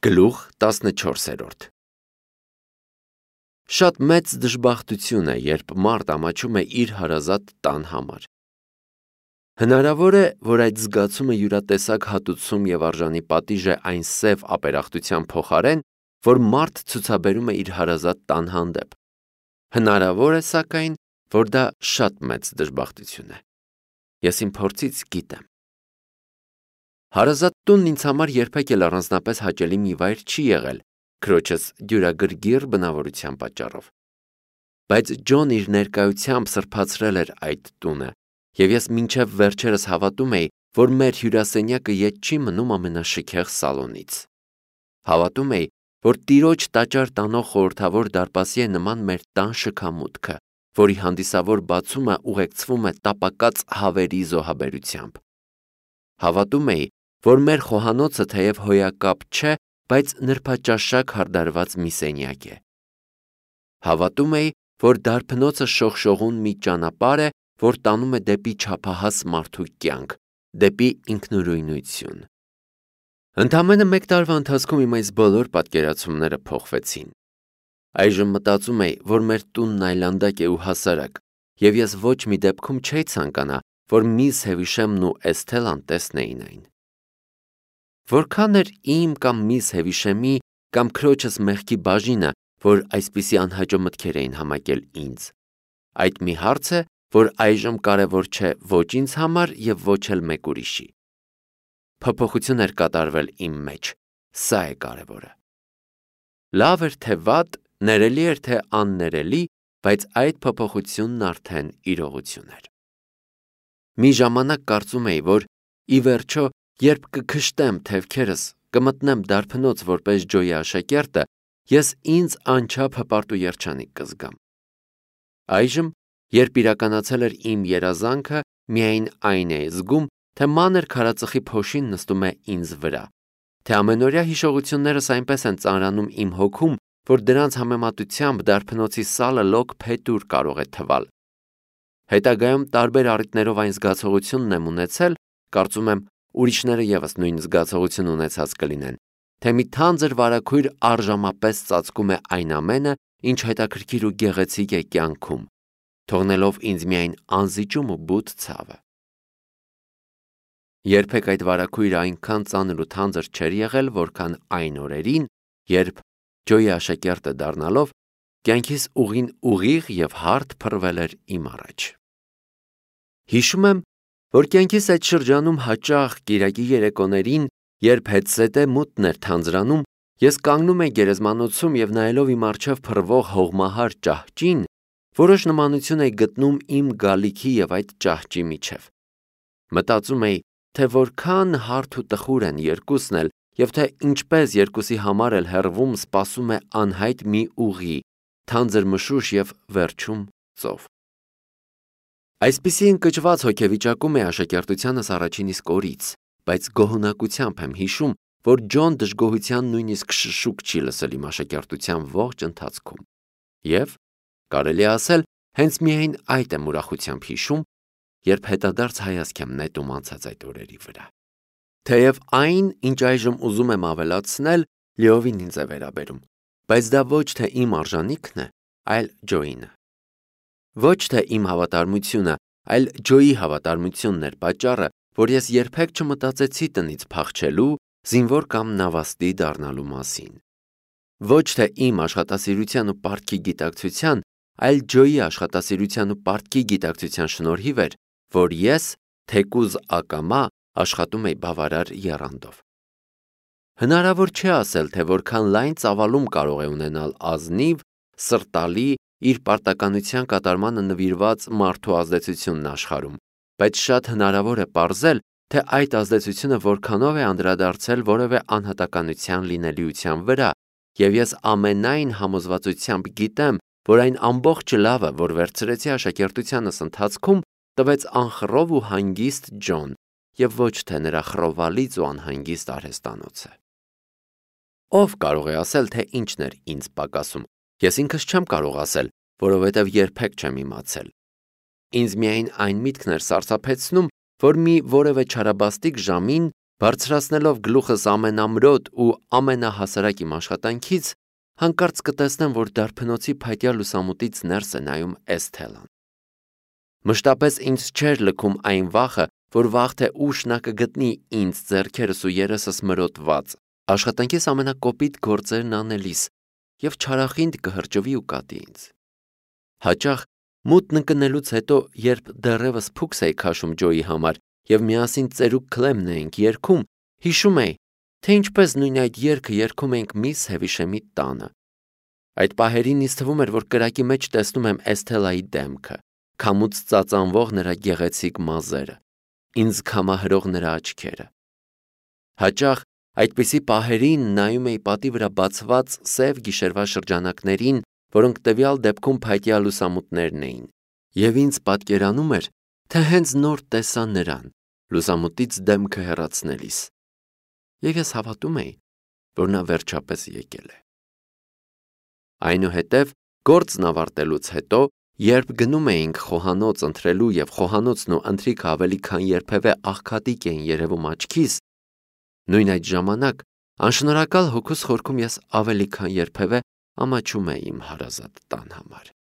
Գլուխ 14 Շատ մեծ դժբախտություն է, երբ մարդ ամաչում է իր հարազատ տան համար։ Հնարավոր է, որ այդ զգացումը յուրատեսակ հատուցում և արժանի պատիժ է այն սև ապերախտության փոխարեն, որ մարդ ցուցաբերում է իր հարազատ տան հանդեպ։ Հնարավոր է, սակայն, որ դա շատ մեծ դժբախտություն է։ Ես իմ փորձից գիտեմ։ Հարազատ տունն ինձ համար երբեք էլ առանձնապես հաճելի մի վայր չի եղել քրոջս դյուրագրգիռ բնավորության պատճառով։ Բայց Ջոն իր ներկայությամբ սրբացրել էր այդ տունը, և ես մինչև վերջերս հավատում էի, որ մեր հյուրասենյակը ետ չի մնում ամենաշքեղ սալոնից։ Հավատում էի, որ Տիրոջ տաճար տանող խորհրդավոր դարպասի է նման մեր տան շքամուտքը, որի հանդիսավոր բացումը ուղեկցվում է տապակած հավերի զոհաբերությամբ։ Հավատում էի, որ մեր խոհանոցը թեև հոյակապ չէ, բայց նրբաճաշակ հարդարված մի սենյակ է։ Հավատում էի, որ դարբնոցը շողշողուն մի ճանապարհ է, որ տանում է դեպի չափահաս մարդու կյանք, դեպի ինքնուրույնություն։ Ընդամենը մեկ տարվա ընթացքում իմ այս բոլոր պատկերացումները փոխվեցին։ Այժմ մտածում էի, որ մեր տունն այլանդակ է ու հասարակ, և ես ոչ մի դեպքում չէի ցանկանա, որ միս Հևիշեմն ու Էսթելան տեսնեին այն։ Որքան էր իմ կամ միս Հևիշեմի կամ քրոջս մեղքի բաժինը, որ այսպիսի անհաճո մտքեր էին համակել ինձ։ Այդ մի հարց է, որ այժմ կարևոր չէ ոչ ինձ համար և ոչ էլ մեկ ուրիշի։ Փոփոխություն էր կատարվել իմ մեջ, սա է կարևորը։ Լավ էր թե վատ, ներելի էր թե աններելի, բայց այդ փոփոխությունն արդեն իրողություն էր։ Մի ժամանակ կարծում էի, որ ի վերջո, երբ կքշտեմ թևքերս, կմտնեմ դարբնոց որպես Ջոյի աշակերտը, ես ինձ անչափ հպարտ ու երջանիկ կզգամ։ Այժմ, երբ իրականացել էր իմ երազանքը, միայն այն էի զգում, թե մանր քարածխի փոշին նստում է ինձ վրա, թե ամենօրյա հիշողություններս այնպես են ծանրանում իմ հոգում, որ դրանց համեմատությամբ դարբնոցի սալը լոկ փետուր կարող է թվալ։ Հետագայում տարբեր առիթներով այն զգացողությունն եմ ունեցել, կարծում եմ, ուրիշները ևս նույն զգացողություն ունեցած կլինեն, թե մի թանձր վարագույր արժամապես ծածկում է այն ամենը, ինչ հետաքրքիր ու գեղեցիկ է կյանքում, թողնելով ինձ միայն անզիջում ու բութ ցավը։ Երբեք այդ վարագույրը այնքան ծանր ու թանձր չէր եղել, որքան այն օրերին, երբ Ջոյի աշակերտը դառնալով, կյանքիս ուղին ուղիղ և հարթ փռվել էր իմ առաջ։ Հիշում եմ, որ կյանքիս այդ շրջանում հաճախ կիրակի երեկոներին, երբ հետզհետե մութն էր թանձրանում, ես կանգնում էի գերեզմանոցում և նայելով իմ առջև փռվող հողմահար ճահճին, որոշ նմանություն էի գտնում իմ գալիքի և այդ ճահճի միջև։ Մտածում էի, թե որքան հարթ ու տխուր են երկուսն էլ, և թե ինչպես երկուսի համար էլ հեռվում սպասում է անհայտ մի ուղի, թանձր մշուշ և վերջում ծով։ Այսպիսի ընկճված հոգեվիճակում էի աշակերտությանս առաջին իսկ օրից, բայց գոհունակությամբ եմ հիշում, որ Ջոն դժգոհության նույնիսկ շշուկ չի լսել իմ աշակերտության ողջ ընթացքում։ Եվ, կարելի է ասել, հենց միայն այդ եմ ուրախությամբ հիշում, երբ հետադարձ հայացք եմ նետում անցած այդ օրերի վրա։ Թեև այն, ինչ այժմ ուզում եմ ավելացնել, լիովին ինձ է վերաբերում, բայց դա ոչ թե իմ արժանիքն է, այլ Ջոյինը։ Ոչ թե իմ հավատարմությունը, այլ Ջոյի հավատարմությունն էր պատճառը, որ ես երբեք չմտածեցի տնից փախչելու, զինվոր կամ նավաստի դառնալու մասին։ Ոչ թե իմ աշխատասիրության ու պարտքի գիտակցության, այլ Ջոյի աշխատասիրության ու պարտքի գիտակցության շնորհիվ էր, որ ես, թեկուզ ակամա, աշխատում էի բավարար եռանդով։ Հնարավոր չէ ասել, թե որքան լայն ծավալում կարող է ունենալ ազնիվ, սրտալի, իր պարտականության կատարմանը նվիրված մարդու ազդեցությունն աշխարհում, բայց շատ հնարավոր է պարզել, թե այդ ազդեցությունը որքանով է անդրադարձել որևէ անհատականության լինելիության վրա, և ես ամենայն համոզվածությամբ գիտեմ, որ այն ամբողջ լավը, որ վերցրեցի աշակերտությանս ընթացքում, տվեց անխռով ու հանգիստ Ջոն, և ոչ թե նրա խռովալից ու անհանգիստ արհեստանոցը։ Ով կարող է ասել, թե ինչն էր ինձ պակասում, ես ինքս չեմ կարող ասել, որովհետև երբեք չեմ իմացել։ Ինձ միայն այն միտքն էր սարսափեցնում, որ մի որևէ չարաբաստիկ ժամին Բարձրացնելով գլուխս ամենամրոտ ու ամենահասարակ իմ աշխատանքից, հանկարծ կտեսնեմ, որ դարբնոցի փայտյա լուսամուտից ներս է նայում Էսթելան։ Մշտապես ինձ չէր լքում այն վախը, որ վաղ թե ուշ նա կգտնի ինձ ձեռքերս ու երեսս մրոտված, աշխատանքիս ամենակոպիտ գործերն անելիս և չարախինդ կհրճվի ու կատի ինձ։ Հաճախ մութն ընկնելուց հետո, երբ դեռևս փուքս էի քաշում Ջոյի համար և միասին ծերուկ Քլեմն էինք երգում, հիշում էի, թե ինչպես նույն այդ երգը երգում էինք միս Հևիշեմի տանը։ Այդ պահերին ինձ թվում էր, որ կրակի մեջ տեսնում եմ Էսթելայի դեմքը, քամուց ծածանվող նրա գեղեցիկ մազերը, ինձ քամահրող նրա աչքերը։ Հաճախ այդպիսի պահերին նայում էի պատի վրա բացված սև գիշերվա շրջանակներին, որոնք տվյալ դեպքում փայտյա լուսամուտներն էին, և ինձ պատկերանում էր, թե հենց նոր տեսա նրան, լուսամուտից դեմքը հեռացնելիս, և ես հավատում էի, որ նա վերջապես եկել է։ Այնուհետև, գործն ավարտելուց հետո, երբ գնում էինք խոհանոց ընթրելու և խոհանոցն ու ընթրիքը ավելի քան երբևէ աղքատիկ էին երևում աչքիս, նույն այդ ժամանակ անշնորհակալ հոգուս խորքում ես ավելի քան երբևէ ամաչում էի իմ հարազատ տան համար։